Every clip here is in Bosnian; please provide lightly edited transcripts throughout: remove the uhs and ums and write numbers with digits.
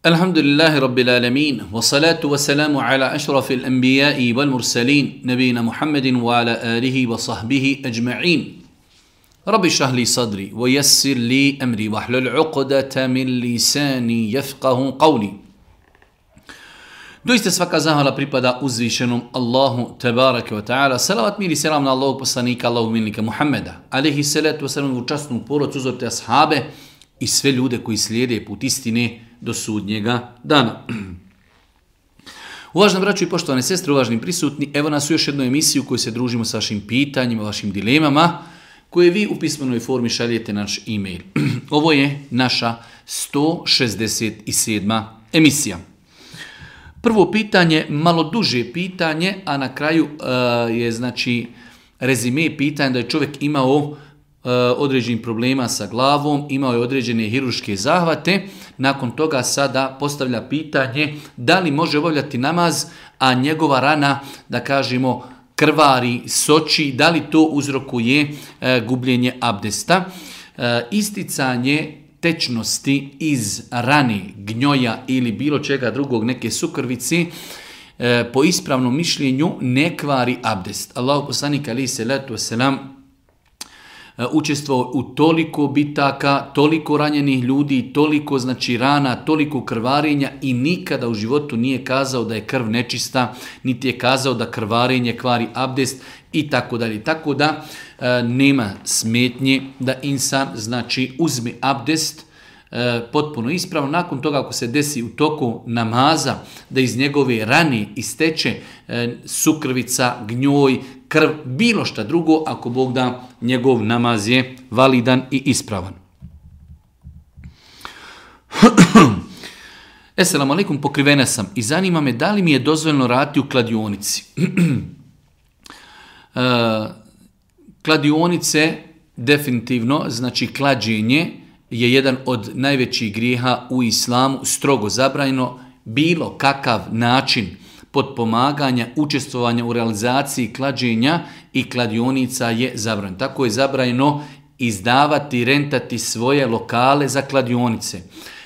Alhamdulillahi Rabbil Alamin, wa salatu wa salamu ala ašrafil anbiya'i wal mursalin, nabijina Muhammedin wa ala alihi wa sahbihi ajma'in. Rabbi šrah li sadri, wa yassir li amri, wa hlul uqdata min lisani yafqahu qawli. Doista svaka zahvala pripada uzvišenom Allahu tebareke wa ta'ala. Salavat mir i selam na Allahog poslanika, Allahog milnika Muhammeda. Alaihi salatu wa salam u častnu porodcu, uzorite ashabe i sve ljude koji slijede put istine do sudnjega dana. Uvaženi braćo i poštovane sestre, uvaženi prisutni, evo nas u još jednu emisiju u kojoj se družimo sa vašim pitanjima, vašim dilemama, koje vi u pismenoj formi šaljete na naš e-mail. Ovo je naša 167. emisija. Prvo pitanje, malo duže pitanje, a na kraju je znači rezime pitanja da je čovjek imao određenih problema sa glavom, imao je određene hirurške zahvate, nakon toga sada postavlja pitanje da li može obavljati namaz, a njegova rana, da kažemo, krvari, soči, da li to uzrokuje gubljenje abdesta. Isticanje tečnosti iz rane, gnjoja ili bilo čega drugog, neke sukrvici, po ispravnom mišljenju ne kvari abdest. Allahu poslanik alejhi selatu vesselam učestvovao u toliko bitaka, toliko ranjenih ljudi, toliko znači rana, toliko krvarenja i nikada u životu nije kazao da je krv nečista, niti je kazao da krvarenje kvari abdest i tako dalje. Tako da nema smetnje da insan znači uzme abdest potpuno ispravno. Nakon toga ako se desi u toku namaza da iz njegove rane isteče sukrvica, gnjoj, krv, bilo šta drugo, ako Bog da, njegov namaz je validan i ispravan. Esselamu alaikum, pokrivena sam i zanima me da li mi je dozvoljeno raditi u kladionici. Kladionice definitivno, znači klađenje, je jedan od najvećih grijeha u islamu, strogo zabranjeno. Bilo kakav način potpomaganja, učestvovanja u realizaciji klađenja i kladionica je zabranjeno. Tako je zabranjeno izdavati, rentati svoje lokale za kladionice.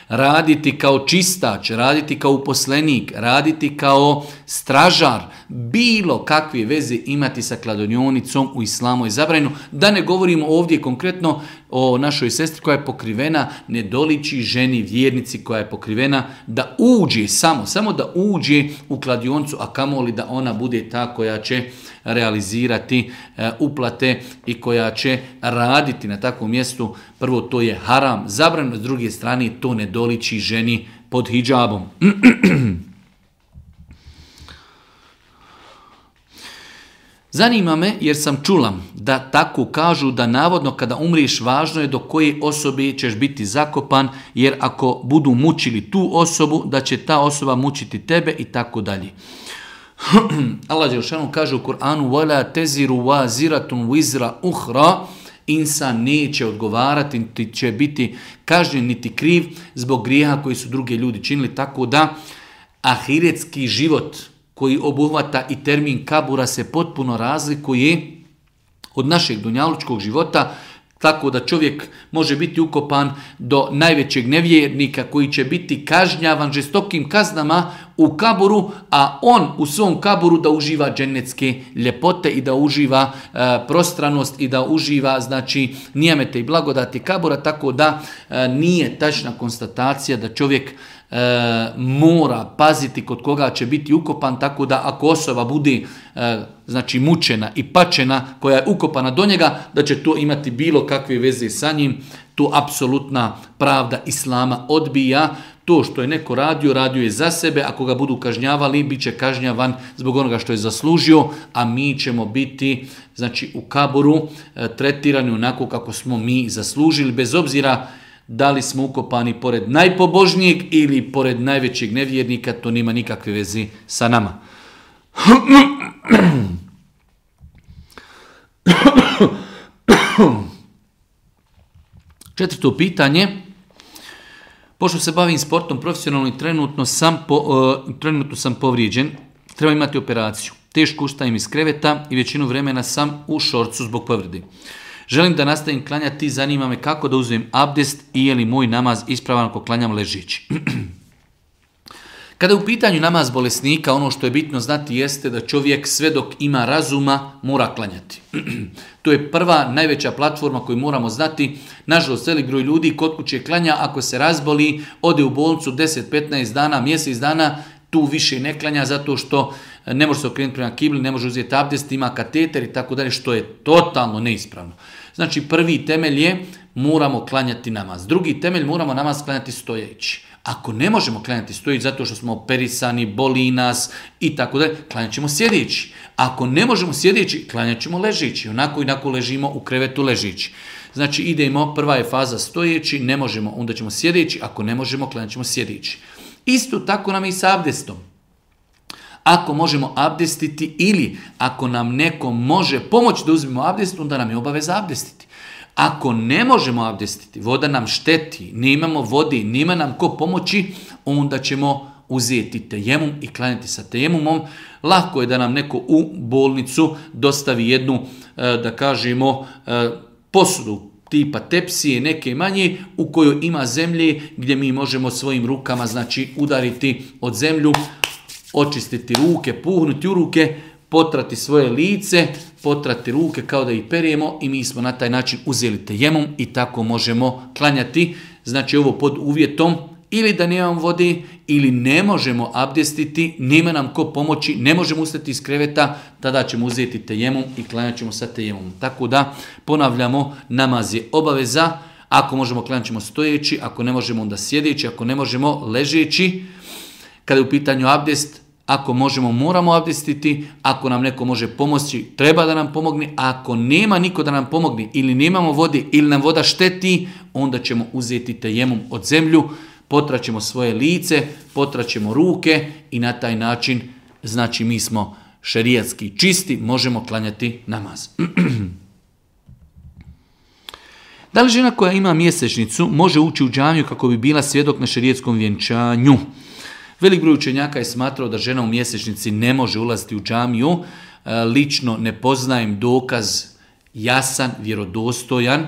Raditi kao čistač, raditi kao uposlenik, raditi kao stražar, bilo kakve veze imati sa kladionicom u islamu je zabranjeno. Da ne govorimo ovdje konkretno o našoj sestri koja je pokrivena, ne doliči ženi vjernici koja je pokrivena da uđe, samo da uđe u kladionicu, a kamoli da ona bude ta koja će realizirati uplate i koja će raditi na takvom mjestu. Prvo, to je haram, zabranjeno, s druge strane to ne doliči ženi pod hidžabom. Zanima me jer sam čula da tako kažu da navodno kada umriješ važno je do koje osobe ćeš biti zakopan, jer ako budu mučili tu osobu da će ta osoba mučiti tebe i tako dalje. Allah dželešanu kaže u Kur'anu وَلَا تَزِرُ وَازِرَةٌ وِزْرَ أُخْرَى, insan neće odgovarati, niti će biti kažnjen niti kriv zbog grijeha koji su drugi ljudi činili, tako da ahiretski život koji obuhvata i termin kabura se potpuno razlikuje od našeg dunjalučkog života, tako da čovjek može biti ukopan do najvećeg nevjernika koji će biti kažnjavan žestokim kaznama u kaburu, a on u svom kaburu da uživa dženecke ljepote i da uživa prostranost i da uživa znači nijemete i blagodati kabura, tako da nije tačna konstatacija da čovjek mora paziti kod koga će biti ukopan, tako da ako osoba bude znači mučena i pačena koja je ukopana do njega, da će to imati bilo kakve veze sa njim. To apsolutna pravda islama odbija. To što je neko radio je za sebe. Ako ga budu kažnjavali, bit će kažnjavan zbog onoga što je zaslužio, a mi ćemo biti znači u kaburu tretirani onako kako smo mi zaslužili, bez obzira da li smo ukopani pored najpobožnijeg ili pored najvećeg nevjernika, to nema nikakve veze sa nama. Četvrto pitanje. Pošto se bavim sportom profesionalno i trenutno sam povrijeđen, treba imati operaciju. Teško ustajem iz kreveta i većinu vremena sam u šorcu zbog povrede. Želim da nastavim klanjati, zanima me kako da uzmem abdest i je li moj namaz ispravan ako klanjam ležeći. Kada je u pitanju namaz bolesnika, ono što je bitno znati jeste da čovjek sve dok ima razuma mora klanjati. To je prva najveća platforma koju moramo znati. Nažalost, velik broj ljudi kod kuće klanja, ako se razboli, ode u bolnicu 10, 15 dana, mjesec dana, tu više ne klanja zato što ne može se okrenuti prema kibli, ne može uzeti abdest, ima kateter i tako dalje, što je totalno neispravno. Znači, prvi temelj je moramo klanjati namaz. Drugi temelj moramo namaz klanjati stojeći. Ako ne možemo klanjati stojeći zato što smo operisani, boli nas i tako dalje, klanjat ćemo sjedeći. Ako ne možemo sjedeći, klanjat ćemo ležeći. Onako ležimo u krevetu ležeći. Znači idemo, prva je faza stojeći, ne možemo, onda ćemo sjedeći, ako ne možemo, klanjat ćemo sjedeći. Isto tako nam i sa abdestom. Ako možemo abdestiti ili ako nam neko može pomoći da uzmemo abdest, onda nam je obaveza abdestiti. Ako ne možemo abdestiti, voda nam šteti, nemamo vode, nema nam ko pomoći, onda ćemo uzeti tejemum i klanjati sa tejemumom. Lako je da nam neko u bolnicu dostavi jednu, da kažemo, posudu tipa tepsije, neke manje, u kojoj ima zemlje gdje mi možemo svojim rukama, znači, udariti od zemlju, očistiti ruke, puhnuti u ruke, potrati svoje lice, potrati ruke kao da ih perijemo i mi smo na taj način uzeli tejemum i tako možemo klanjati. Znači ovo pod uvjetom ili da nemamo vode ili ne možemo abdestiti, nema nam ko pomoći, ne možemo ustati iz kreveta, tada ćemo uzeti tejemum i klanjat ćemo sa tejemom. Tako da ponavljamo, namaz je obaveza, ako možemo klanjat ćemo stojeći, ako ne možemo onda sjedeći, ako ne možemo ležeći. Kada je u pitanju abdest, ako možemo, moramo abdestiti, ako nam neko može pomoći, treba da nam pomogne, a ako nema niko da nam pomogne ili nemamo vode ili nam voda šteti, onda ćemo uzeti tejemum od zemlju, potraćemo svoje lice, potraćemo ruke i na taj način, znači mi smo šerijatski čisti, možemo klanjati namaz. Da li žena koja ima mjesečnicu može ući u džamiju kako bi bila svjedok na šerijetskom vjenčanju? Velik broj učenjaka je smatrao da žena u mjesečnici ne može ulaziti u džamiju. Lično ne poznajem dokaz jasan, vjerodostojan,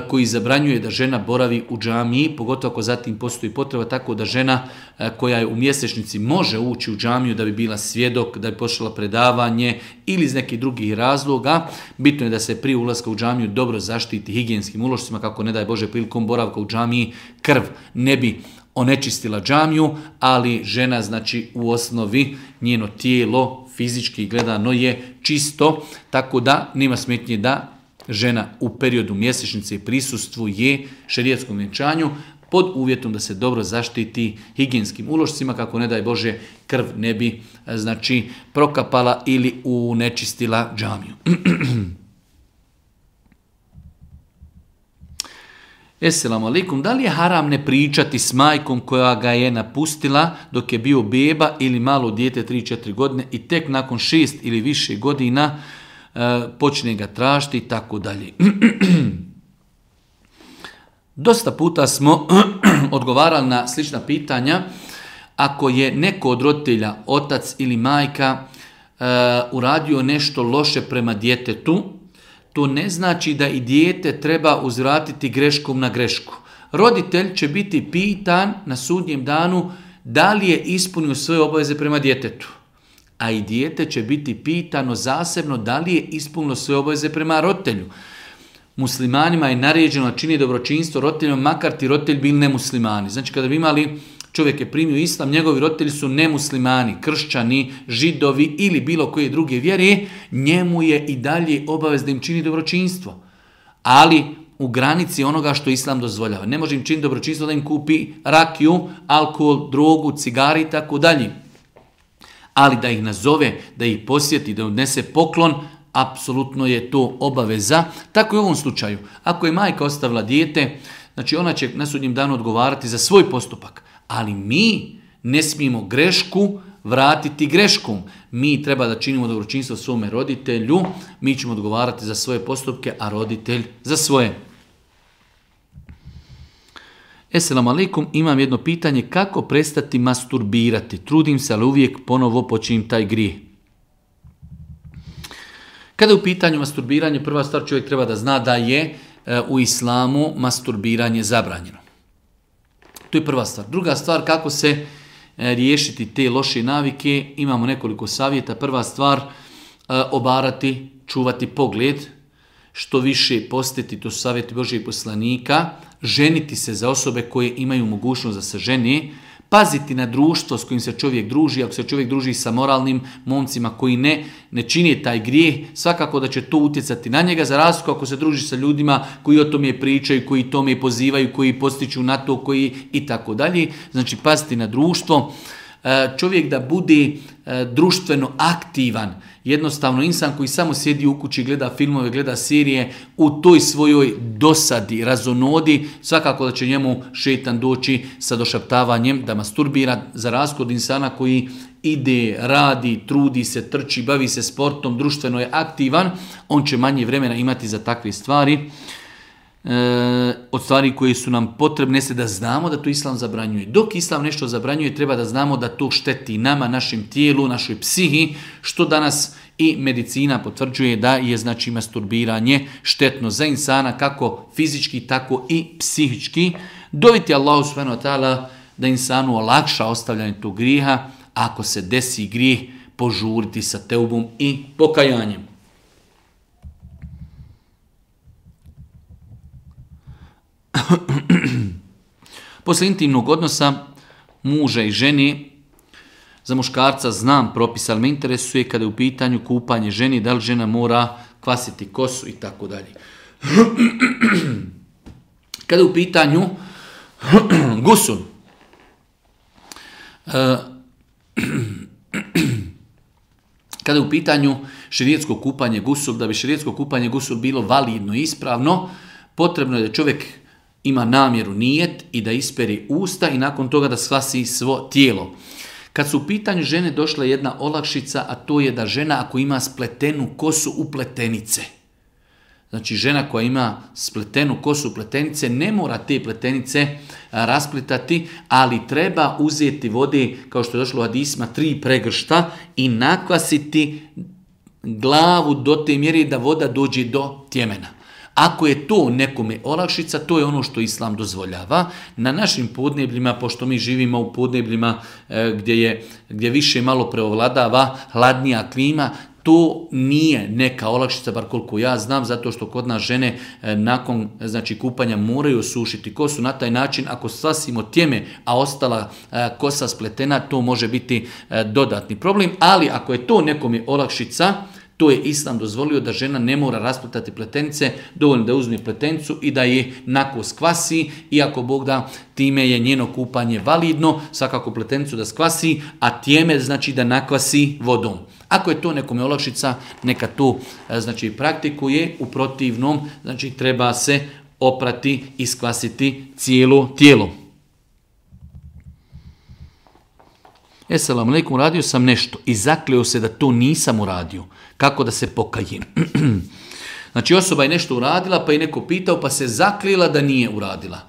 koji zabranjuje da žena boravi u džamiji, pogotovo ako zatim postoji potreba, tako da žena koja je u mjesečnici može ući u džamiju da bi bila svjedok, da bi pošla predavanje ili iz nekih drugih razloga. Bitno je da se prije ulaska u džamiju dobro zaštiti higijenskim ulošcima, kako ne daj Bože prilikom boravka u džamiji krv ne bi onečistila džamiju, ali žena, znači, u osnovi njeno tijelo fizički gledano je čisto, tako da nema smetnje da žena u periodu mjesečnice prisustvuje šerijatskom vjenčanju pod uvjetom da se dobro zaštiti higijenskim ulošcima, kako ne daj Bože krv ne bi, znači, prokapala ili unečistila džamiju. Esselamu alaikum, da li je haram ne pričati s majkom koja ga je napustila dok je bio beba ili malo dijete 3-4 godine i tek nakon 6 ili više godina počne ga tražiti i tako dalje. Dosta puta smo odgovarali na slična pitanja. Ako je neko od roditelja, otac ili majka, uradio nešto loše prema djetetu, to ne znači da i dijete treba uzvratiti greškom na grešku. Roditelj će biti pitan na sudnjem danu da li je ispunio svoje obaveze prema djetetu. A i dijete će biti pitano zasebno da li je ispunilo svoje obaveze prema roditelju. Muslimanima je naređeno čini dobročinstvo roditeljima, makar ti roditelj bili nemuslimani. Znači kada bi imali, čovjek je primio islam, njegovi roditelji su nemuslimani, kršćani, židovi ili bilo koje druge vjere, njemu je i dalje obavez da im čini dobročinstvo. Ali u granici onoga što islam dozvoljava. Ne može im činiti dobročinstvo da im kupi rakiju, alkohol, drogu, cigari i tako dalje. Ali da ih nazove, da ih posjeti, da odnese poklon, apsolutno je to obaveza. Tako i u ovom slučaju. Ako je majka ostavila dijete, znači ona će na sudnjem danu odgovarati za svoj postupak. Ali mi ne smijemo grešku vratiti greškom. Mi treba da činimo dobročinstvo svome roditelju, mi ćemo odgovarati za svoje postupke, a roditelj za svoje. Esselamu alaikum, imam jedno pitanje, kako prestati masturbirati? Trudim se, ali uvijek ponovo počinjem taj grijeh. Kada je u pitanju masturbiranje, prva stvar čovjek treba da zna da je u islamu masturbiranje zabranjeno. To je prva stvar. Druga stvar, kako se riješiti te loše navike, imamo nekoliko savjeta. Prva stvar, obarati, čuvati pogled, što više postiti, to su savjeti Božijeg poslanika, ženiti se za osobe koje imaju mogućnost da se žene, paziti na društvo s kojim se čovjek druži. Ako se čovjek druži sa moralnim momcima koji ne čine taj grijeh, svakako da će to utjecati na njega, za razliku ako se druži sa ljudima koji o tome pričaju, koji tome pozivaju, koji postiču na to, koji i tako dalje. Znači paziti na društvo. Čovjek da bude društveno aktivan. Jednostavno insan koji samo sjedi u kući, gleda filmove, gleda serije, u toj svojoj dosadi, razonodi, svakako da će njemu šetan doći sa došaptavanjem da masturbira, za razliku od insana koji ide, radi, trudi se, trči, bavi se sportom, društveno je aktivan, on će manje vremena imati za takve stvari. Od stvari koje su nam potrebne se da znamo da to Islam zabranjuje. Dok Islam nešto zabranjuje, treba da znamo da to šteti nama, našem tijelu, našoj psihi, što danas i medicina potvrđuje da je znači masturbiranje štetno za insana, kako fizički, tako i psihički. Doviti Allahu subhanahu wa ta'ala da insanu olakša ostavljanje tog grijeha, ako se desi grijeh, požuriti sa teubom i pokajanjem. Posle intimnog odnosa muža i žene, za muškarca znam propis, ali me interesuje kada je u pitanju kupanje ženi, da li žena mora kvasiti kosu i tako dalje. Kada je u pitanju gusul, kada je u pitanju šerijetsko kupanje gusul, da bi šerijetsko kupanje gusul bilo validno i ispravno, potrebno je da čovjek ima namjeru nijet i da isperi usta i nakon toga da skvasi svo tijelo. Kad su u pitanju žene došla jedna olakšica, a to je da žena ako ima spletenu kosu u pletenice. Znači žena koja ima spletenu kosu u pletenice ne mora te pletenice rasplitati, ali treba uzeti vode, kao što je došlo u hadisima, 3 pregršta i nakvasiti glavu do te mjere da voda dođe do tjemena. Ako je to nekome olakšica, to je ono što Islam dozvoljava. Na našim podnebljima, pošto mi živimo u podnebljima gdje više malo preovladava hladnija klima, to nije neka olakšica, bar koliko ja znam, zato što kod nas žene nakon kupanja moraju osušiti kosu. Na taj način, ako sasimo tjeme, a ostala kosa spletena, to može biti dodatni problem. Ali ako je to nekome olakšica, to je Islam dozvolio da žena ne mora rasplitati pletenice, dovoljno da uzme pletenicu i da je nako skvasi, iako Bog da time je njeno kupanje validno, svakako pletenicu da skvasi, a tjeme znači da nakvasi vodom. Ako je to nekome olakšica, neka to praktikuje, u protivnom treba se oprati i skvasiti cijelo tijelo. Esselamu alejkum, uradio sam nešto i zakleo se da to nisam uradio. Kako da se pokajem? Znači osoba je nešto uradila, pa je neko pitao, pa se zaklijela da nije uradila.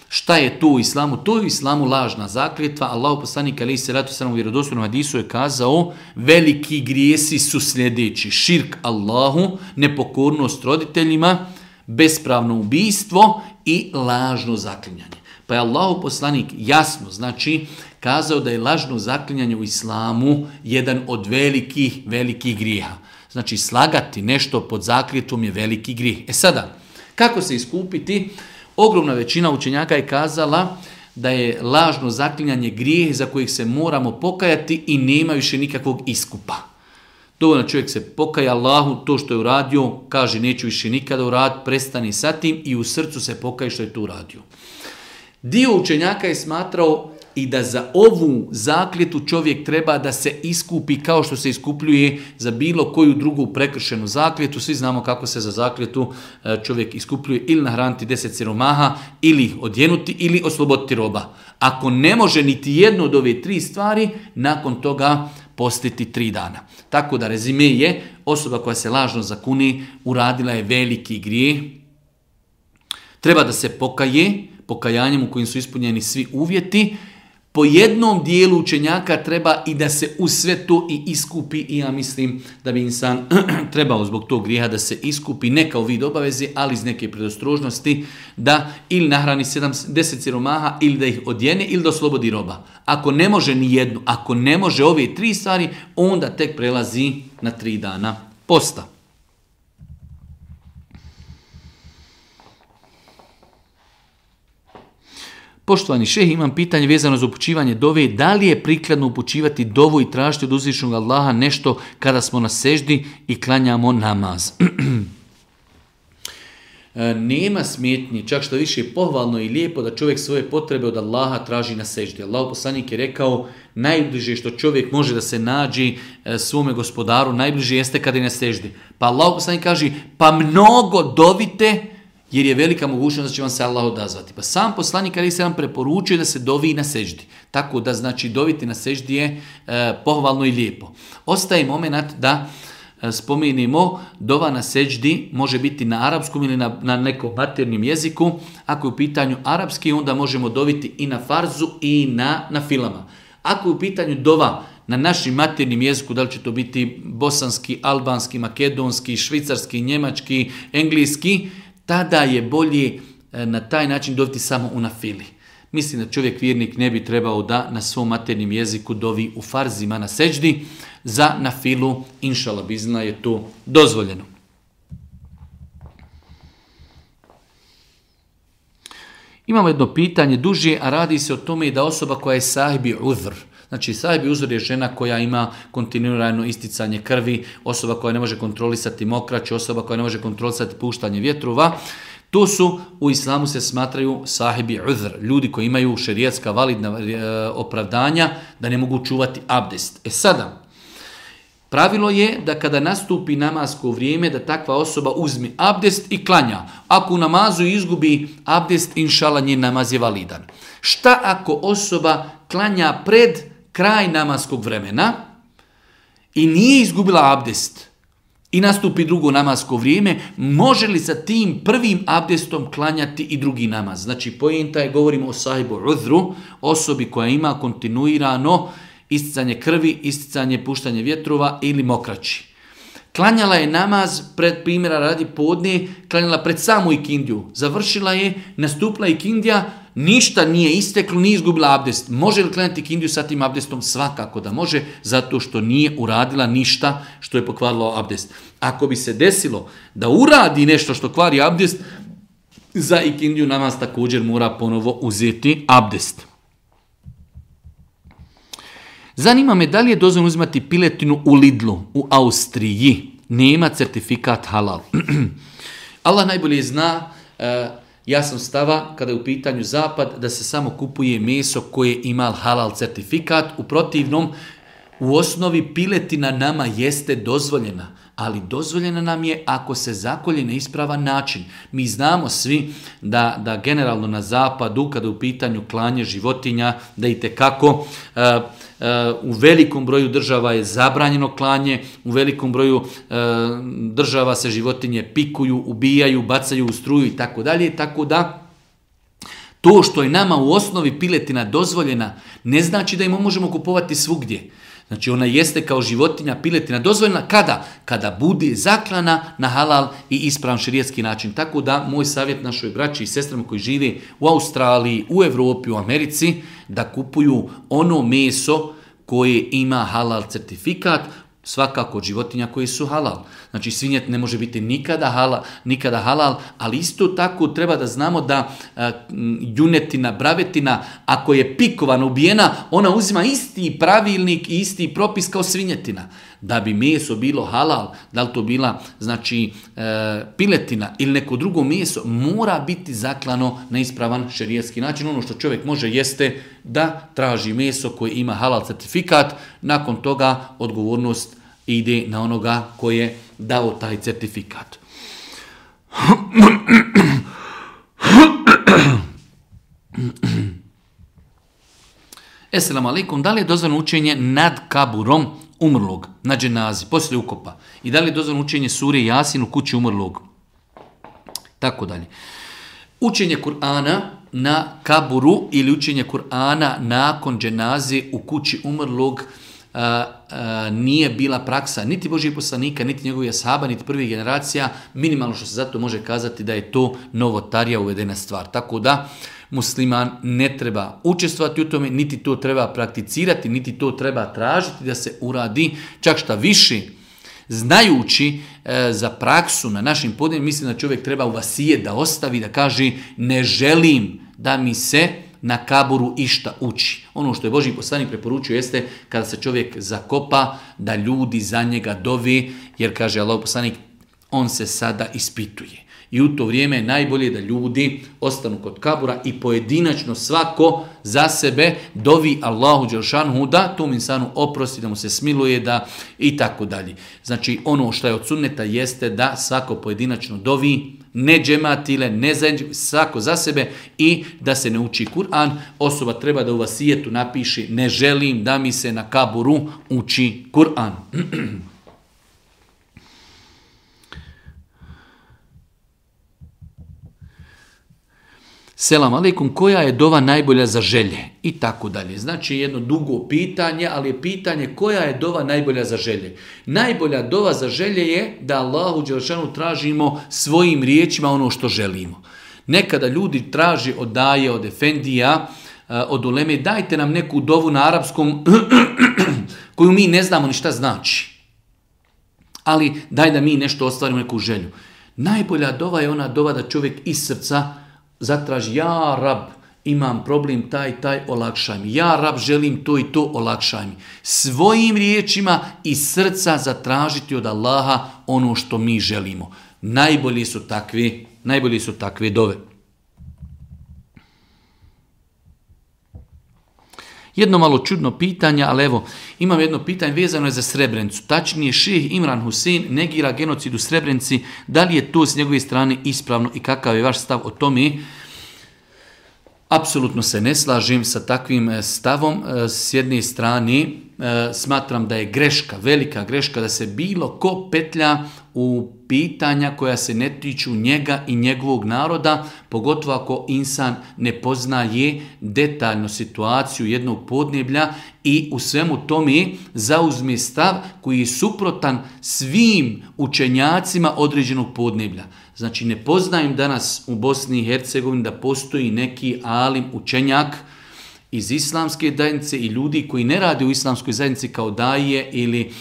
Šta je to u islamu? To je u islamu lažna zakljetva. Allahu poslanik alejhi selatu selam u vjerodostojnom hadisu je kazao: veliki grijesi su sljedeći: širk Allahu, nepokornost roditeljima, bespravno ubijstvo i lažno zaklinjanje. Pa je Allahu poslanik jasno kazao da je lažno zaklinjanje u islamu jedan od velikih grijeha. Znači slagati nešto pod zakljetvom je veliki grijeh. Sada, kako se iskupiti? Ogromna većina učenjaka je kazala da je lažno zaklinjanje grijeh za kojih se moramo pokajati i nema više nikakvog iskupa. Dovoljno čovjek se pokaja Allahu, to što je uradio, kaže neću više nikada uraditi, prestani sa tim i u srcu se pokaje što je to uradio. Dio učenjaka je smatrao i da za ovu zakljetu čovjek treba da se iskupi kao što se iskupljuje za bilo koju drugu prekršenu zakljetu. Svi znamo kako se za zakljetu čovjek iskupljuje, ili nahraniti 10 siromaha, ili ih odjenuti, ili osloboditi roba. Ako ne može niti jedno od ove 3 stvari, nakon toga postiti 3 dana. Tako da rezime je, osoba koja se lažno zakuni uradila je veliki grijeh. Treba da se pokaje, pokajanjem u kojim su ispunjeni svi uvjeti, Po jednom dijelu učenjaka treba i da se u sve to i iskupi i ja mislim da bi insan trebao zbog tog grijeha da se iskupi ne kao vid obaveze, ali iz neke predostrožnosti da ili nahrani 10 siromaha ili da ih odjene ili da oslobodi roba. Ako ne može ni jednu, ako ne može ove 3 stvari, onda tek prelazi na 3 dana posta. Poštovani šejh, imam pitanje vezano za upućivanje dove. Da li je prikladno upućivati dovu i tražiti od uzvišenog Allaha nešto kada smo na seždi i klanjamo namaz? Nema smetnje, čak što više je pohvalno i lijepo da čovjek svoje potrebe od Allaha traži na seždi. Allahov poslanik je rekao, najbliže što čovjek može da se nađe svome gospodaru, najbliže jeste kada je na seždi. Pa Allahov poslanik kaže, pa mnogo dovite, jer je velika mogućnost da će vam se Allah odazvati. Pa sam poslanik ali se vam preporučuje da se dovi na seždi. Tako da znači doviti na seždi je pohvalno i lijepo. Ostaje moment da spomenemo dova na seždi može biti na arapskom ili na nekom maternjem jeziku. Ako je u pitanju arapski, onda možemo doviti i na farzu i na filama. Ako je u pitanju dova na našim maternjem jeziku, da li će to biti bosanski, albanski, makedonski, švicarski, njemački, engleski, tada je bolje na taj način doviti samo u nafili. Mislim da čovjek vjernik ne bi trebao da na svom maternjem jeziku dovi u farzima na seđdi. Za nafilu, inšala bizna, je to dozvoljeno. Imamo jedno pitanje duže, a radi se o tome da osoba koja je sahibi uzr. Znači, sahibi uzr je žena koja ima kontinuirano isticanje krvi, osoba koja ne može kontrolisati mokrać, osoba koja ne može kontrolisati puštanje vjetrova. To su, u islamu se smatraju sahibi uzr, ljudi koji imaju šerijatska validna opravdanja da ne mogu čuvati abdest. Sada, pravilo je da kada nastupi namasko vrijeme da takva osoba uzme abdest i klanja. Ako u namazu izgubi abdest, inšala njen namaz je validan. Šta ako osoba klanja pred kraj namaskog vremena i nije izgubila abdest i nastupi drugo namasko vrijeme, može li sa tim prvim abdestom klanjati i drugi namaz? Znači, poenta je, govorimo o sahibu uzru, osobi koja ima kontinuirano isticanje krvi, isticanje puštanje vjetrova ili mokraći. Klanjala je namaz pred, primjera radi podne, klanjala pred samu ikindiju. Završila je, nastupila ikindija, ništa nije isteklo, nije izgubila abdest. Može li klanjati ikindiju sa tim abdestom? Svakako da može, zato što nije uradila ništa što je pokvarilo abdest. Ako bi se desilo da uradi nešto što kvari abdest, za ikindiju namaz također mora ponovo uzeti abdest. Zanima me da li je dozvoljeno uzimati piletinu u Lidlu, u Austriji. Nema certifikat halal. Allah najbolje zna, ja sam stava, kada je u pitanju zapad, da se samo kupuje meso koje ima halal certifikat. U protivnom, u osnovi piletina nama jeste dozvoljena, ali dozvoljena nam je ako se zakolje na ispravan način. Mi znamo svi da generalno na zapadu, kada je u pitanju klanje životinja, da itekako u velikom broju država je zabranjeno klanje, u velikom broju država se životinje pikuju, ubijaju, bacaju u struju i tako dalje, tako da to što je nama u osnovi piletina dozvoljena ne znači da im možemo kupovati svugdje. Znači ona jeste kao životinja, piletina dozvoljena kada? Kada bude zaklana na halal i ispravan šerijatski način. Tako da moj savjet našoj braći i sestrama koji žive u Australiji, u Europi, u Americi, da kupuju ono meso koje ima halal certifikat, svakako od životinja koje su halal. Znači svinjet ne može biti nikada halal, ali isto tako treba da znamo da junetina, bravetina, ako je pikovana, ubijena, ona uzima isti pravilnik i isti propis kao svinjetina. Da bi meso bilo halal, da li to bila znači piletina ili neko drugo meso, mora biti zaklano na ispravan šerijatski način. Ono što čovjek može jeste da traži meso koje ima halal certifikat, nakon toga odgovornost ide na onoga koji je dao taj certifikat. Esselamu alaikum, da li je dozvoljeno učenje nad kaburom umrlog, na dženazi, poslije ukopa? I da li je dozvoljeno učenje sure Jasin u kući umrlog? Tako dalje. Učenje Kur'ana na kaburu ili učenje Kur'ana nakon dženaze u kući umrlog nije bila praksa niti Božih poslanika, niti njegovih ashaba, niti prvih generacija. Minimalno što se zato može kazati da je to novotarija uvedena stvar. Tako da musliman ne treba učestvovati u tome, niti to treba prakticirati, niti to treba tražiti da se uradi. Čak šta više, znajući za praksu na našim podnijima, mislim da čovjek treba u vasijet da ostavi, da kaže ne želim da mi se na kaburu išta uči. Ono što je Božji poslanik preporučio jeste kada se čovjek zakopa da ljudi za njega dovi, jer kaže Allahov poslanik on se sada ispituje. I u to vrijeme je najbolje da ljudi ostanu kod kabura i pojedinačno svako za sebe dovi Allahu dželšanhu da tom insanu oprosti, da mu se smiluje, da i tako dalje. Znači ono što je od sunneta jeste da svako pojedinačno dovi, ne džematile, ne zajednički, svako za sebe i da se ne uči Kur'an. Osoba treba da u vasijetu napiše ne želim da mi se na kaburu uči Kur'an. Selam alejkum, koja je dova najbolja za želje? I tako dalje. Znači jedno dugo pitanje, ali je pitanje koja je dova najbolja za želje. Najbolja dova za želje je da Allahu dželešanu tražimo svojim riječima ono što želimo. Nekada ljudi traži od daje, od efendija, od uleme, dajte nam neku dovu na arapskom koju mi ne znamo ni šta znači. Ali daj da mi nešto ostvarimo, neku želju. Najbolja dova je ona dova da čovjek iz srca zatraži, ja Rab, imam problem taj, olakšaj mi. Ja Rab, želim to i to, olakšaj mi. Svojim riječima iz srca zatražiti od Allaha ono što mi želimo. Najbolji su takve dove. Jedno malo čudno pitanje, ali evo, imam jedno pitanje vezano je za Srebrenicu. Tačnije, šejh Imran Husein negira genocid u Srebrenici. Da li je to s njegove strane ispravno i kakav je vaš stav o tome? Apsolutno se ne slažem sa takvim stavom. S jedne strane, smatram da je greška, velika greška, da se bilo ko petlja u pitanja koja se ne tiču njega i njegovog naroda, pogotovo ako insan ne poznaje detaljno situaciju jednog podneblja i u svemu tome zauzme stav koji je suprotan svim učenjacima određenog podneblja. Znači ne poznajem danas u Bosni i Hercegovini da postoji neki alim učenjak iz islamske zajednice i ljudi koji ne rade u islamskoj zajednici kao daje ili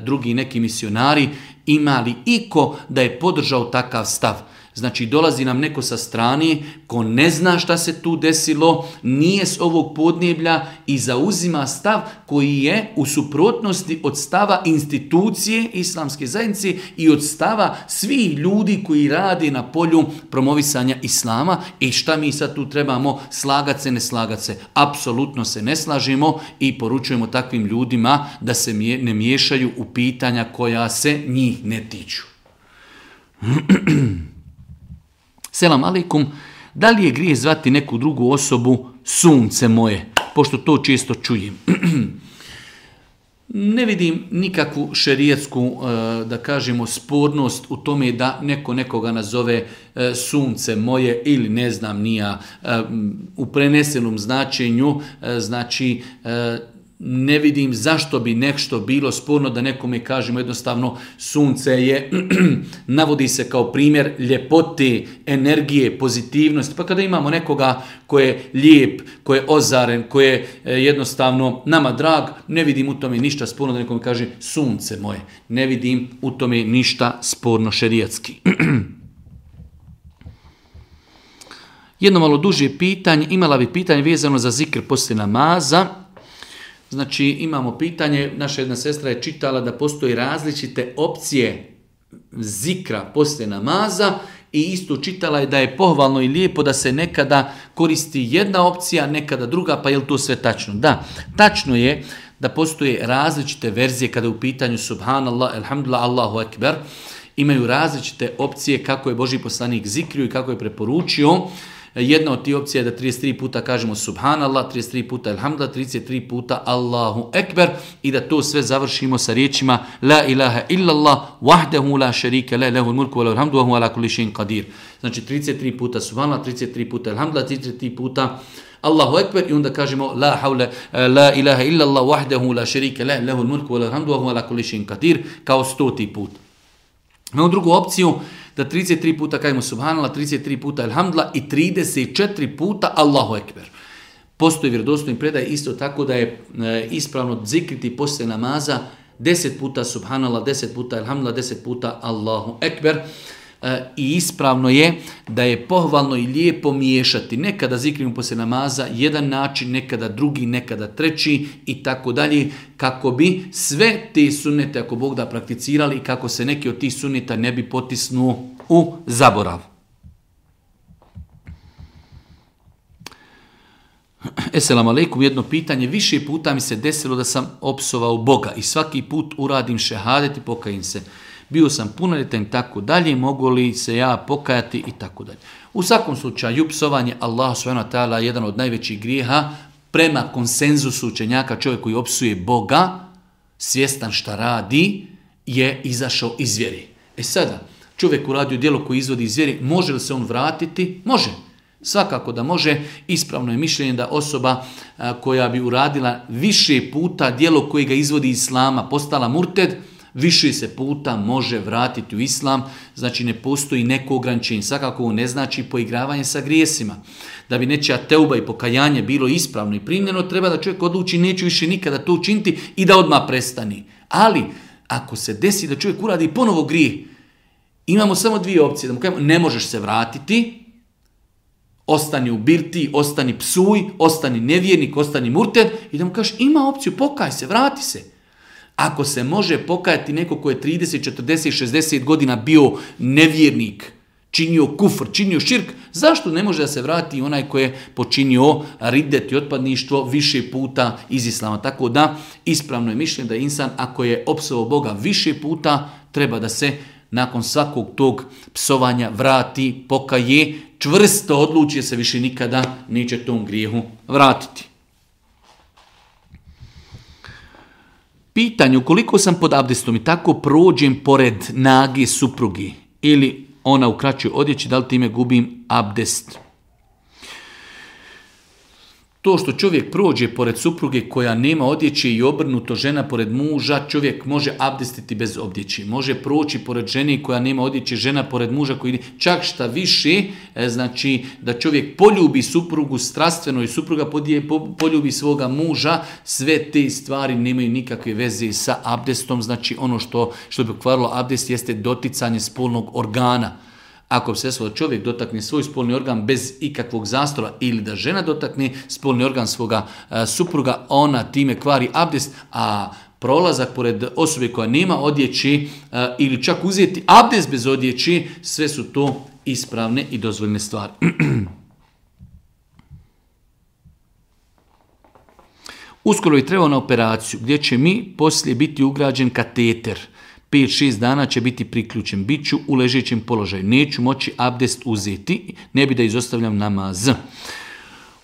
drugi neki misionari, ima li iko da je podržao takav stav? Znači dolazi nam neko sa strane ko ne zna šta se tu desilo, nije s ovog podneblja i zauzima stav koji je u suprotnosti od stava institucije islamske zajednice i od stava svih ljudi koji rade na polju promovisanja islama. I šta mi sad tu trebamo, slagat se, ne slagat se? Apsolutno se ne slažemo i poručujemo takvim ljudima da se ne miješaju u pitanja koja se njih ne tiču. Selam alejkum, da li je grijeh zvati neku drugu osobu sunce moje, pošto to često čujem? Ne vidim nikakvu šerijetsku, da kažemo, spornost u tome da neko nekoga nazove sunce moje ili ne znam nija u prenesenom značenju, znači ne vidim zašto bi nešto bilo sporno da nekome kažemo jednostavno sunce je, navodi se kao primjer ljepote, energije, pozitivnosti. Pa kada imamo nekoga ko je lijep, ko je ozaren, ko je jednostavno nama drag, ne vidim u tome ništa sporno da nekome kaže sunce moje. Ne vidim u tome ništa sporno šerijatski. Jedno malo duže pitanje, imala bi pitanje vezano za zikr poslije namaza. Znači imamo pitanje, naša jedna sestra je čitala da postoji različite opcije zikra poslije namaza i isto čitala je da je pohvalno i lijepo da se nekada koristi jedna opcija, nekada druga, pa je li to sve tačno? Da, tačno je da postoje različite verzije kada je u pitanju subhanallah, alhamdulillah, Allahu ekber, imaju različite opcije kako je Božji poslanik zikrio i kako je preporučio. Jedna od tih opcija je da 33 puta kažemo subhanallah, 33 puta elhamdulillah, 33 puta Allahu ekber i da to sve završimo sa riječima la ilaha illallah wahdahu la sharika la lahul mulku wa lahul hamdu wa huwa ala kulli shay'in qadir. Znači 33 puta subhanallah, 33 puta elhamdulillah, 33 puta Allahu ekber i onda kažemo la ilaha illallah wahdahu la sharika la lahul mulku wa lahul hamdu wa huwa ala kulli shay'in qadir kao 100. put. Imamo drugu opciju da 33 puta kažemo subhanallah, 33 puta elhamdulillah i 34 puta Allahu ekber. Postoji vjerodostojni predaj isto tako da je ispravno zikriti poslije namaza 10 puta subhanallah, 10 puta elhamdulillah, 10 puta Allahu ekber. I ispravno je da je pohvalno i lijepo miješati. Nekada zikrimo poslije namaza jedan način, nekada drugi, nekada treći i tako dalje, kako bi sve te sunnete, ako Bog da, prakticirali i kako se neki od tih sunneta ne bi potisnuo u zaborav. Esselamu alaikum, jedno pitanje. Više puta mi se desilo da sam opsovao Boga i svaki put uradim šehadet i pokajim se. Bio sam punoljetan i tako dalje, mogu li se ja pokajati i tako dalje. U svakom slučaju, psovanje Allah subhanahu wa ta'ala je jedan od najvećih grijeha. Prema konsenzusu učenjaka, čovjek koji opsuje Boga, svjestan šta radi, je izašao iz vjere. Sada, čovjek uradio djelo koji izvodi iz vjere, može li se on vratiti? Može. Svakako da može. Ispravno je mišljenje da osoba koja bi uradila više puta djelo koje ga izvodi iz islama, postala murted, više se puta može vratiti u islam, znači ne postoji neko ograničenje. Svakako ovo ne znači poigravanje sa grijesima. Da bi nečija teuba i pokajanje bilo ispravno i primljeno, treba da čovjek odluči neću više nikada to učiniti i da odmah prestani. Ali, ako se desi da čovjek uradi ponovo grijeh, imamo samo dvije opcije. Da mu kažemo, ne možeš se vratiti, ostani u birti, ostani psuj, ostani nevjernik, ostani murted i da mu kažeš ima opciju, pokaj se, vrati se. Ako se može pokajati neko ko je 30, 40, 60 godina bio nevjernik, činio kufr, činio širk, zašto ne može da se vrati onaj ko je počinio ridet i otpadništvo više puta iz islama? Tako da ispravno je mišljenje da insan ako je opsovao Boga više puta, treba da se nakon svakog tog psovanja vrati, pokaje, čvrsto odluči se više nikada neće tom grijehu vratiti. Pitanje, ukoliko sam pod abdestom i tako prođem pored nage suprugi ili ona u kraćoj odjeći, da li time gubim abdest? To što čovjek prođe pored supruge koja nema odjeće i obrnuto žena pored muža, čovjek može abdestiti bez odjeće. Može proći pored žene koja nema odjeće, žena pored muža koji čak šta više, znači da čovjek poljubi suprugu strastveno i supruga poljubi svoga muža, sve te stvari nemaju nikakve veze sa abdestom. Znači ono što bi pokvarilo abdest jeste doticanje spolnog organa. Ako se desilo da čovjek dotakne svoj spolni organ bez ikakvog zastora ili da žena dotakne spolni organ svoga supruga, ona time kvari abdest, a prolazak pored osobe koja nema odjeći ili čak uzeti abdest bez odjeći, sve su to ispravne i dozvoljene stvari. Uskoro je trebao na operaciju gdje će mi poslije biti ugrađen kateter. 5-6 dana će biti priključen. Biću u ležećem položaju. Neću moći abdest uzeti. Ne bi da izostavljam namaz.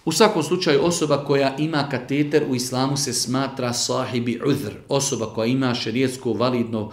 U svakom slučaju osoba koja ima kateter u islamu se smatra sahibi udhr. Osoba koja ima šerijetsko validno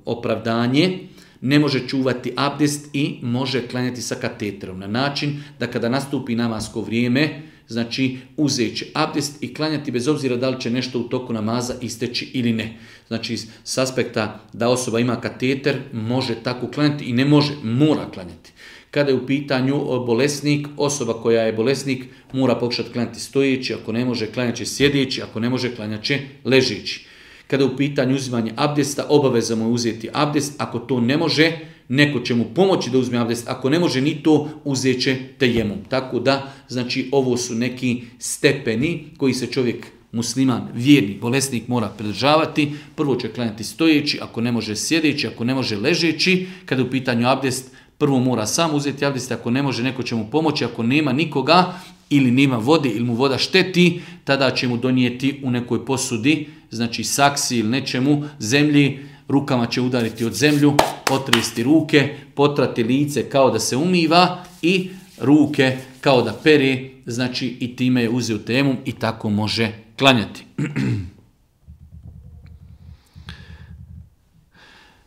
opravdanje ne može čuvati abdest i može klanjati sa kateterom. Na način da kada nastupi namasko vrijeme, znači uzet će abdest i klanjati bez obzira da li će nešto u toku namaza isteći ili ne. Znači s aspekta da osoba ima kateter može tako klanjati i ne može, mora klanjati. Kada je u pitanju bolesnik, osoba koja je bolesnik mora pokušati klanjati stojeći, ako ne može klanjat će sjedeći, ako ne može klanjat će ležeći. Kada je u pitanju uzimanje abdesta, obaveza mu je uzeti abdest, ako to ne može, neko će mu pomoći da uzme abdest, ako ne može ni to, uzet će tejemum. Tako da, znači, ovo su neki stepeni koji se čovjek, musliman, vjernik, bolesnik mora pridržavati. Prvo će klanjati stojeći, ako ne može sjedeći, ako ne može ležeći. Kada je u pitanju abdest, prvo mora sam uzeti abdest, ako ne može, neko će mu pomoći, ako nema nikoga ili nema vode ili mu voda šteti, tada će mu donijeti u nekoj posudi, znači saksi ili nečemu, zemlji, rukama će udariti od zemlju, potresti ruke, potrati lice kao da se umiva i ruke kao da pere, znači i time je uzeo tejemum i tako može klanjati.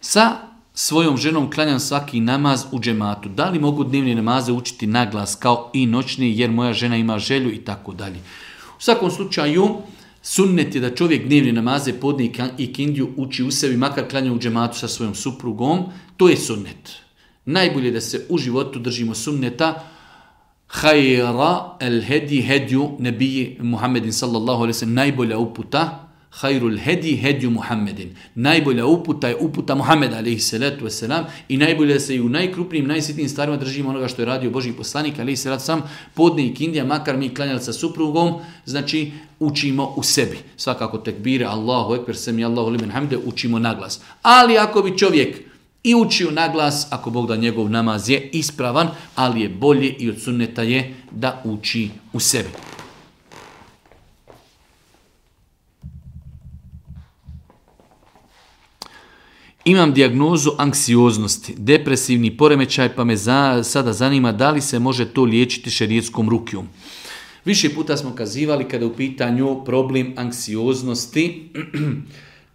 Sa svojom ženom klanjam svaki namaz u džematu. Da li mogu dnevne namaze učiti na glas kao i noćni jer moja žena ima želju i tako dalje. U svakom slučaju sunnet je da čovjek dnevne namaze, podne i kindiju uči u sebi, makar klanja u džematu sa svojom suprugom. To je sunnet. Najbolje da se u životu držimo sunneta. Hajra el hedi hedju nebiji Muhammedin sallallahu alaihi sallam. Najbolja uputa. Hajrul hedi hedju Muhammedin. Najbolja uputa je uputa Muhammeda alaihi salatu wasalam i najbolje da se i u najkrupnijim, najsitnijim stvarima držimo onoga što je radio Božji poslanik alaihi salatu wasalam, podne i kindija, makar mi klanjali sa suprugom, znači učimo u sebi. Svakako tekbire, Allahu ekber, semi Allahu limen hamde, učimo naglas. Ali ako bi čovjek i učio naglas, ako Bog da njegov namaz je ispravan, ali je bolje i od sunneta je da uči u sebi. Imam dijagnozu anksioznosti, depresivni poremećaj, pa me sada zanima da li se može to liječiti šerijetskom rukijom. Više puta smo kazivali kada je u pitanju problem anksioznosti,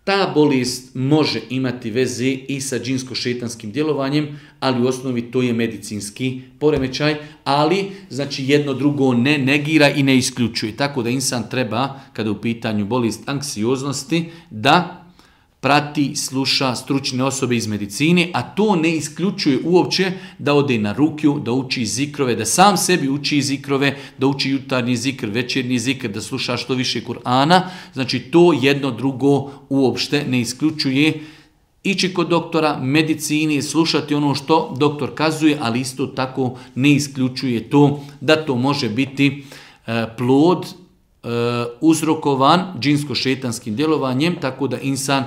ta bolest može imati veze i sa džinsko-šejtanskim djelovanjem, ali u osnovi to je medicinski poremećaj, ali znači jedno drugo ne negira i ne isključuje. Tako da insan treba, kada je u pitanju bolest anksioznosti, da prati, sluša stručne osobe iz medicine, a to ne isključuje uopće da ode na rukju, da uči zikrove, da sam sebi uči zikrove, da uči jutarnji zikr, večernji zikr, da sluša što više Kur'ana. Znači to jedno drugo uopšte ne isključuje. Ići kod doktora, medicini, slušati ono što doktor kazuje, ali isto tako ne isključuje to da to može biti plod uzrokovan džinsko-šejtanskim djelovanjem, tako da insan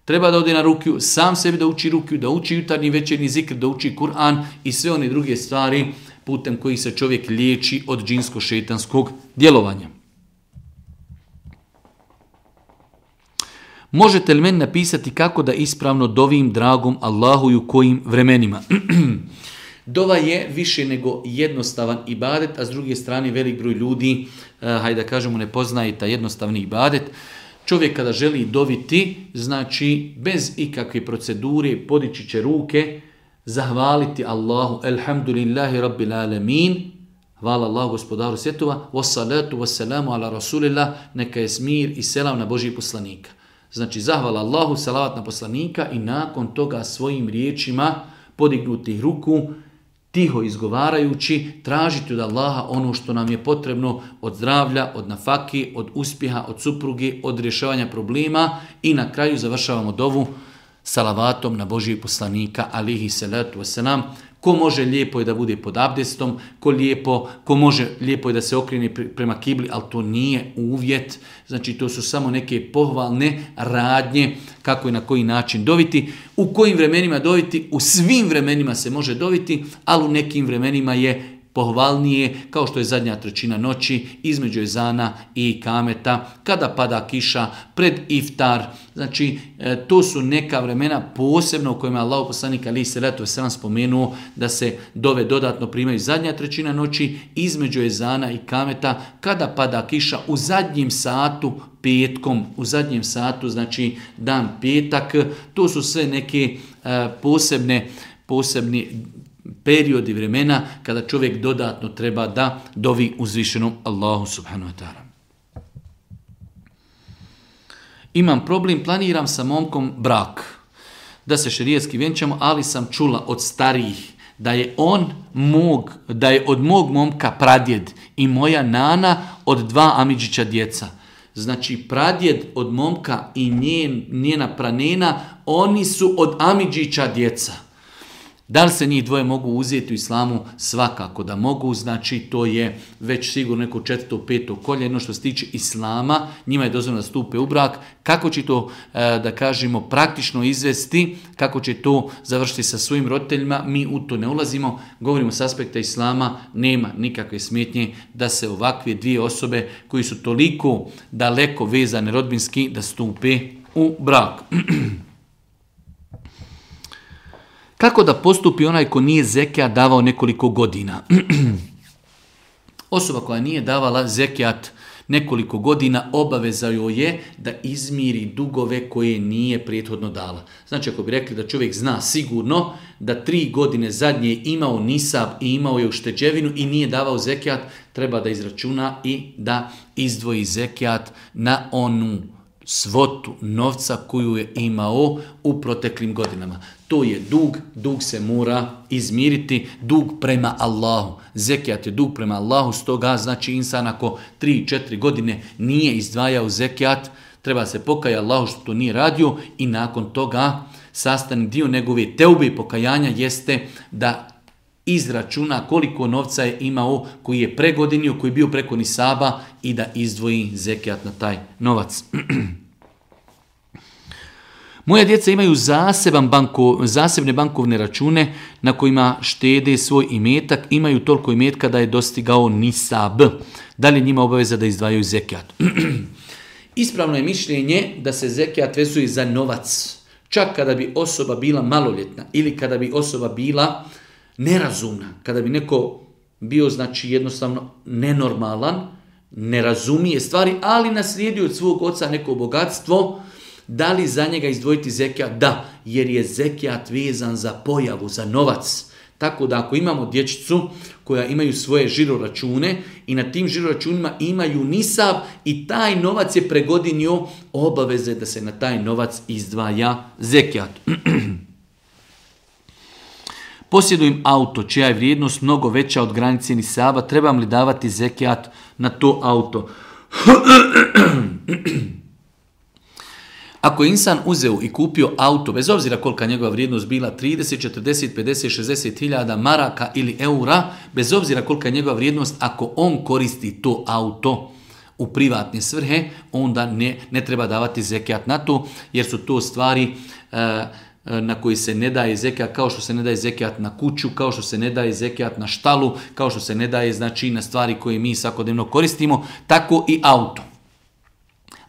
treba da ode na rukju, sam sebi da uči rukju, da uči jutarnji večernji zikr, da uči Kur'an i sve one druge stvari putem kojih se čovjek liječi od džinsko-šejtanskog djelovanja. Možete li meni napisati kako da ispravno dovim dragom Allahu i u kojim vremenima? Dova je više nego jednostavan ibadet, a s druge strane velik broj ljudi, hajde da kažemo, ne poznaje taj jednostavni ibadet. Čovjek kada želi doviti, znači bez ikakve procedure podići će ruke, zahvaliti Allahu, elhamdulillahi rabbil alamin, hvala Allahu gospodaru svjetova, wassalatu wassalamu ala rasulillah, neka je smir i selam na Božji poslanika. Znači zahvala Allahu, salavat na poslanika i nakon toga svojim riječima podignutih ruku, tiho izgovarajući, tražiti od Allaha ono što nam je potrebno od zdravlja, od nafaki, od uspjeha, od supruge, od rješavanja problema i na kraju završavamo dovu salavatom na Božijeg poslanika alihi salatu wasalam. Ko može lijepo je da bude pod abdestom, ko može lijepo je da se okrene prema kibli, ali to nije uvjet. Znači to su samo neke pohvalne radnje kako i na koji način doviti. U kojim vremenima doviti? U svim vremenima se može doviti, ali u nekim vremenima je pohvalnije, kao što je zadnja trećina noći, između ezana i kameta, kada pada kiša, pred iftar. Znači, to su neka vremena posebno u kojima Allah poslanik alejhi selatu vesselam spomenuo da se dove dodatno primaju zadnja trećina noći, između ezana i kameta, kada pada kiša u zadnjem satu, petkom, u zadnjem satu, znači dan petak. To su sve neke posebni periodi vremena kada čovjek dodatno treba da dovi uzvišenom Allahu subhanahu wa ta'ala. Imam problem, planiram sa momkom brak, da se šerijatski vjenčamo, ali sam čula od starijih da je od mog momka pradjed i moja nana od 2 amidžića djeca. Znači pradjed od momka i njena pranena, oni su od amidžića djeca. Da li se njih dvoje mogu uzeti u islamu? Svakako da mogu, znači to je već sigurno neko 4. 5. koljeno što se tiče islama, njima je dozvoljeno da stupe u brak. Kako će to, da kažemo, praktično izvesti, kako će to završiti sa svojim roditeljima, mi u to ne ulazimo, govorimo s aspekta islama, nema nikakve smetnje da se ovakve dvije osobe koji su toliko daleko vezane rodbinski da stupe u brak. Kako da postupi onaj ko nije zekijat davao nekoliko godina? Osoba koja nije davala zekijat nekoliko godina, obaveza joj je da izmiri dugove koje nije prethodno dala. Znači, ako bi rekli da čovjek zna sigurno da 3 godine zadnje imao nisab i imao je ušteđevinu i nije davao zekijat, treba da izračuna i da izdvoji zekijat na onu svotu novca koju je imao u proteklim godinama. To je dug se mora izmiriti, dug prema Allahu. Zekijat je dug prema Allahu, stoga znači insan ako 3-4 godine nije izdvajao zekijat, treba se pokajati Allahu što to nije radio i nakon toga sastavni dio njegove teube i pokajanja jeste da izračuna koliko novca je imao koji je pregodinio, koji je bio preko nisaba i da izdvoji zekijat na taj novac. Moja djeca imaju zasebne bankovne račune na kojima štede svoj imetak, imaju toliko imetka da je dostigao nisab. Da li njima obaveza da izdvajaju zekijat? Ispravno je mišljenje da se zekijat vezuje za novac. Čak kada bi osoba bila maloljetna ili kada bi osoba bila nerazumna, kada bi neko bio znači jednostavno nenormalan, ne razumije stvari, ali naslijedio od svog oca neko bogatstvo, da li za njega izdvojiti zekijat? Da, jer je zekijat vezan za pojavu, za novac. Tako da ako imamo dječicu koja imaju svoje žiroračune i na tim žiroračunima imaju nisab i taj novac je pregodinio, obaveze da se na taj novac izdvaja zekijat. Posjedujem auto čija je vrijednost mnogo veća od granice nisaba, trebam li davati zekijat na to auto? Ako je insan uzeo i kupio auto, bez obzira kolika njegova vrijednost bila, 30, 40, 50, 60 hiljada maraka ili eura, bez obzira kolika je njegova vrijednost, ako on koristi to auto u privatne svrhe, onda ne treba davati zekijat na to, jer su to stvari na koji se ne daje zekijat, kao što se ne daje zekijat na kuću, kao što se ne daje zekijat na štalu, kao što se ne daje znači na stvari koje mi svakodnevno koristimo, tako i auto.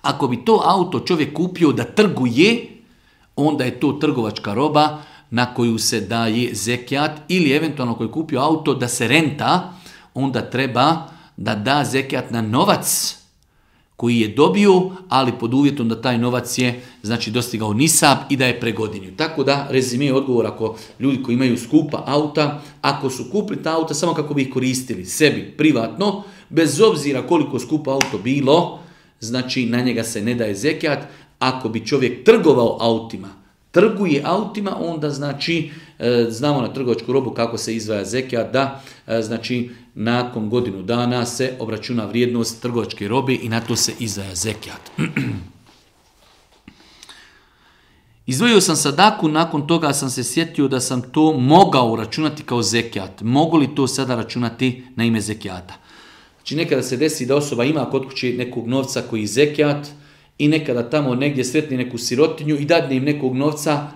Ako bi to auto čovjek kupio da trguje, onda je to trgovačka roba na koju se daje zekijat, ili eventualno ako je kupio auto da se renta, onda treba da da zekijat na novac koji je dobio, ali pod uvjetom da taj novac je znači dostigao nisab i da je pregodinio. Tako da rezime odgovor, ako ljudi koji imaju skupa auta, ako su kupili ta auta samo kako bi ih koristili sebi privatno, bez obzira koliko skupa auto bilo, znači na njega se ne daje zekijat. Ako bi čovjek trgovao autima, trguje autima, onda znači znamo na trgovačku robu kako se izdvaja zekijat, da znači nakon godinu dana se obračuna vrijednost trgovačke robe i na to se izdvaja zekijat. Izdvojio sam sadaku, nakon toga sam se sjetio da sam to mogao računati kao zekijat. Mogu li to sada računati na ime zekijata? Znači nekada se desi da osoba ima kod kuće nekog novca koji je zekijat i nekada tamo negdje sretni neku sirotinju i dadne im nekog novca,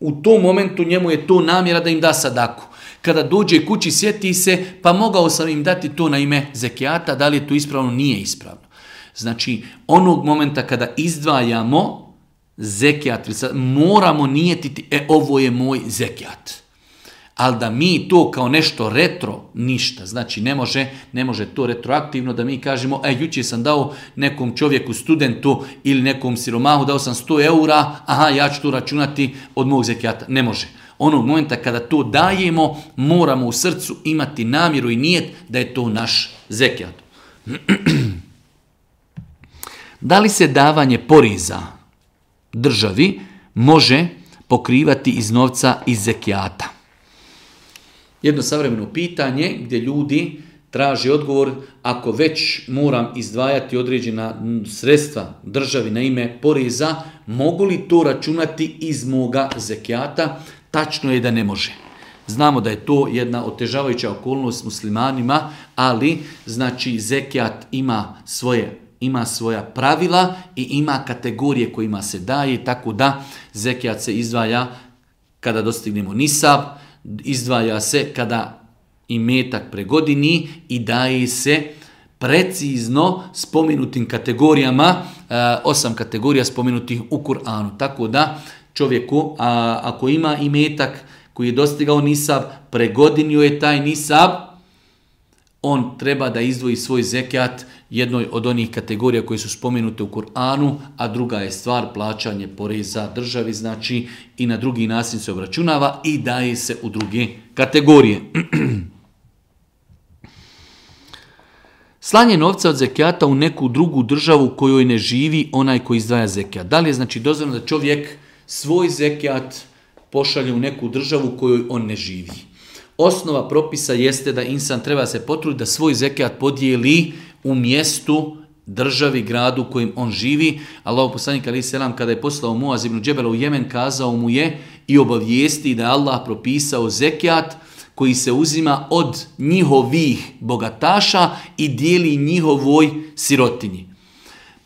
u tom momentu njemu je to namjera da im da sadaku. Kada dođe kući sjeti se, pa mogao sam im dati to na ime zekijata, da li je to ispravno, nije ispravno. Znači onog momenta kada izdvajamo zekijat, moramo nijetiti, ovo je moj zekijat. Ali da mi to kao nešto retro, ništa. Znači ne može to retroaktivno da mi kažemo, jučer sam dao nekom čovjeku, studentu ili nekom siromahu, dao sam 100 eura, ja ću to računati od mog zekijata. Ne može. Onog momenta kada to dajemo, moramo u srcu imati namjeru i nijet da je to naš zekijat. Da li se davanje poreza državi može pokrivati iz novca iz zekijata? Jedno savremeno pitanje gdje ljudi traže odgovor, ako već moram izdvajati određena sredstva državi na ime poreza, mogu li to računati iz moga zekijata? Tačno je da ne može. Znamo da je to jedna otežavajuća okolnost muslimanima, ali znači zekijat ima svoja pravila i ima kategorije kojima se daje, tako da zekijat se izdvaja kada dostignemo nisab, izdvaja se kada imetak pregodini i daje se precizno spomenutim kategorijama, 8 kategorija spomenutih u Kur'anu. Tako da čovjeku, ako ima imetak koji je dostigao nisab, pregodinio je taj nisab, on treba da izdvoji svoj zekat jednoj od onih kategorija koje su spomenute u Kur'anu, a druga je stvar plaćanje poreza državi, znači i na drugi način se obračunava i daje se u druge kategorije. Slanje novca od zekijata u neku drugu državu u kojoj ne živi onaj koji izdvaja zekijat. Da li je znači dozvoljeno da čovjek svoj zekijat pošalje u neku državu u kojoj on ne živi? Osnova propisa jeste da insan treba se potruditi da svoj zekijat podijeli u mjestu, državi, gradu u kojem on živi. Allahov poslanik alejhi selam kada je poslao Muaz ibn Džebela u Jemen, kazao mu je i obavijesti da je Allah propisao zekijat koji se uzima od njihovih bogataša i dijeli njihovoj sirotinji.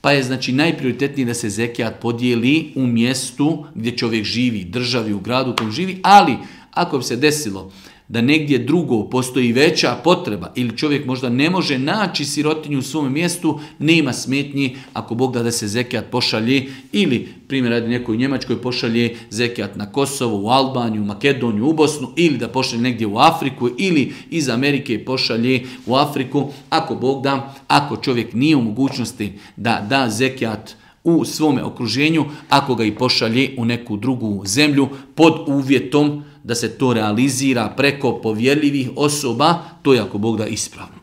Pa je znači najprioritetniji da se zekijat podijeli u mjestu gdje čovjek živi, državi, u gradu u kojem živi, ali ako bi se desilo da negdje drugo postoji veća potreba ili čovjek možda ne može naći sirotinju u svom mjestu, nema smetnji ako Bog da se zekijat pošalje ili primjer radi nekoj Njemačkoj pošalje zekijat na Kosovo, u Albaniju, u Makedoniju, u Bosnu ili da pošalje negdje u Afriku ili iz Amerike pošalje u Afriku. Ako Bog da, ako čovjek nije u mogućnosti da da zekijat u svome okruženju, ako ga i pošalje u neku drugu zemlju pod uvjetom da se to realizira preko povjerljivih osoba, to je ako Bog da ispravno.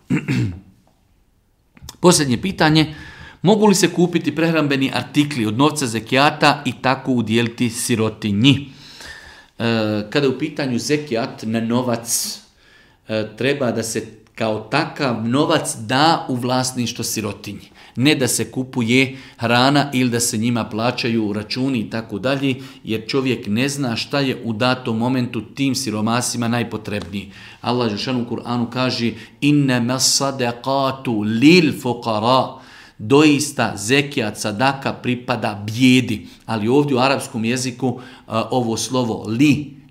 Posljednje pitanje, mogu li se kupiti prehrambeni artikli od novca zekijata i tako udjeliti sirotinji? Kada je u pitanju zekijat na novac, treba da se kao takav novac da u vlasništvo sirotinji. Ne da se kupuje hrana ili da se njima plaćaju računi i tako dalje, jer čovjek ne zna šta je u datom momentu tim siromasima najpotrebniji. Allah dželle u Kur'anu kaže: "Innama sadaqatu lil fuqara." Doista zekijat, sadaka pripada bijedi, ali ovdje u arapskom jeziku ovo slovo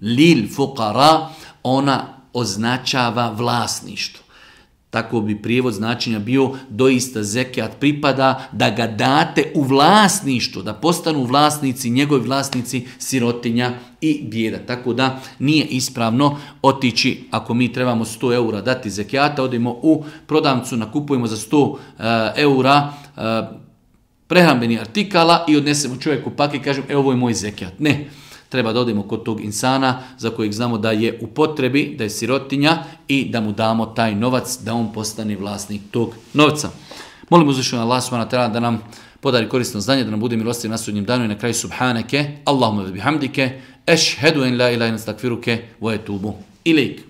lil fuqara, ona označava vlasništvo. Tako bi prijevod značenja bio doista zekijat pripada da ga date u vlasništvo, da postanu vlasnici, njegovi vlasnici sirotinja i bijeda. Tako da nije ispravno otići, ako mi trebamo 100 eura dati zekijata, odemo u prodavnicu, nakupujemo za 100 eura prehrambeni artikala i odnesemo čovjeku paket i kažemo ovo je moj zekijat. Ne. Treba da odemo kod tog insana za kojeg znamo da je u potrebi, da je sirotinja i da mu damo taj novac da on postane vlasnik tog novca. Molim uzvišenog Allah subhanahu wa ta'ala da nam podari korisno znanje, da nam bude milostiv na sudnjem danu i na kraju subhaneke, Allahumma bihamdike, ešhedu en la ilaha illa ente, estakfiruke wa etubu ilejk.